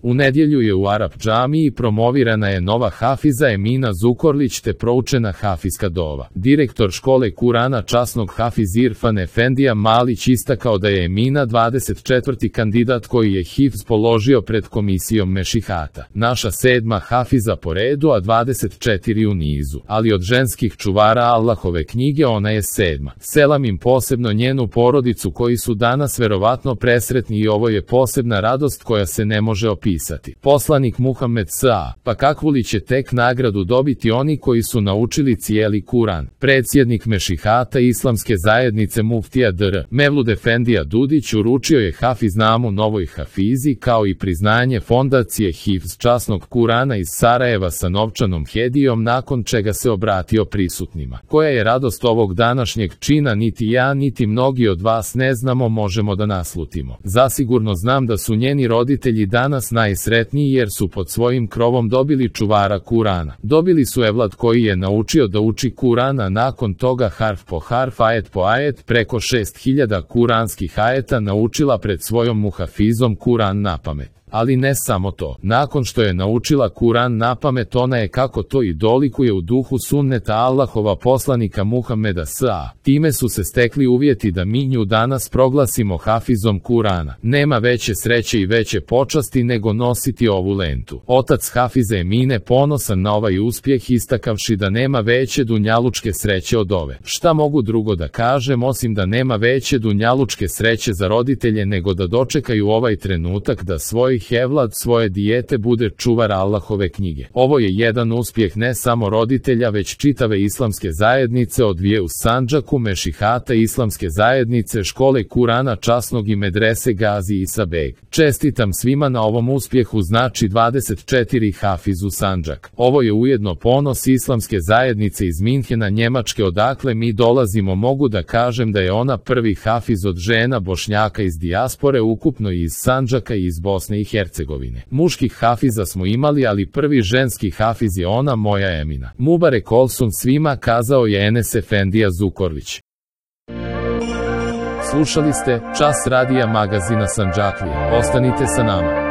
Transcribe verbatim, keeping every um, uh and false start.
U nedjelju je u Arap džamiji promovirana je nova hafiza Emina Zukorlić te proučena hafizska dova. Direktor škole Kurana časnog hafiz Irfan Efendija Malić istakao da je Emina dvadeset četvrti kandidat koji je hifz položio pred komisijom mešihata. Naša sedma hafiza po redu, a dvadeset četiri u nizu. Ali od ženskih čuvara Allahove knjige ona je sedma. Selam im posebno njenu porodicu koji su danas verovatno presretni i ovo je posebna radost koja se ne može opisati. Poslanik Muhammed S.A. Pa kakvu li će tek nagradu dobiti oni koji su naučili cijeli Kuran? Predsjednik mešihata Islamske zajednice muftija dr. Mevlud Efendija Dudić uručio je hafiznamu novoj hafizi kao i priznanje fondacije Hifz časnog Kurana iz Sarajeva sa novčanom hedijom, nakon čega se obratio prisutnima. Koja je radost ovog današnjeg čina niti ja niti mnogi od vas ne znamo, možemo da naslutimo. Zasigurno znam da su njeni roditelji danas najsretniji jer su pod svojim krovom dobili čuvara Kurana. Dobili su evlad koji je naučio da uči Kuran, a nakon toga harf po harf, ajet po ajet, preko šest hiljada kuranskih ajeta naučila pred svojom muhafizom Kuran napamet. Ali ne samo to. Nakon što je naučila Kuran napamet, ona je, kako to i dolikuje u duhu sunneta Allahova poslanika Muhameda S.A. Time su se stekli uvjeti da mi nju danas proglasimo hafizom Kurana. Nema veće sreće i veće počasti nego nositi ovu lentu. Otac hafize Emine ponosan na ovaj uspjeh, istakavši da nema veće dunjalučke sreće od ove. Šta mogu drugo da kažem osim da nema veće dunjalučke sreće za roditelje nego da dočekaju ovaj trenutak da svoj evlad, svoje dijete bude čuvar Allahove knjige. Ovo je jedan uspjeh ne samo roditelja već čitave islamske zajednice od dvije u Sandžaku, mešihata Islamske zajednice, škole Kurana časnog i medrese Gazi Isa Beg. Čestitam svima na ovom uspjehu, znači dvadeset četiri hafiz u Sandžak. Ovo je ujedno ponos Islamske zajednice iz Minhena, Njemačke, odakle mi dolazimo. Mogu da kažem da je ona prvi hafiz od žena Bošnjaka iz dijaspore, ukupno iz Sandžaka i iz Bosne i Hercegovine. Muških hafiza smo imali, ali prvi ženski hafiz je ona, moja Emina. Mubarek olsun svima, kazao je Enes Efendija Zukorlić. Slušali ste Čas radija magazina Sandžaklija. Ostanite sa nama.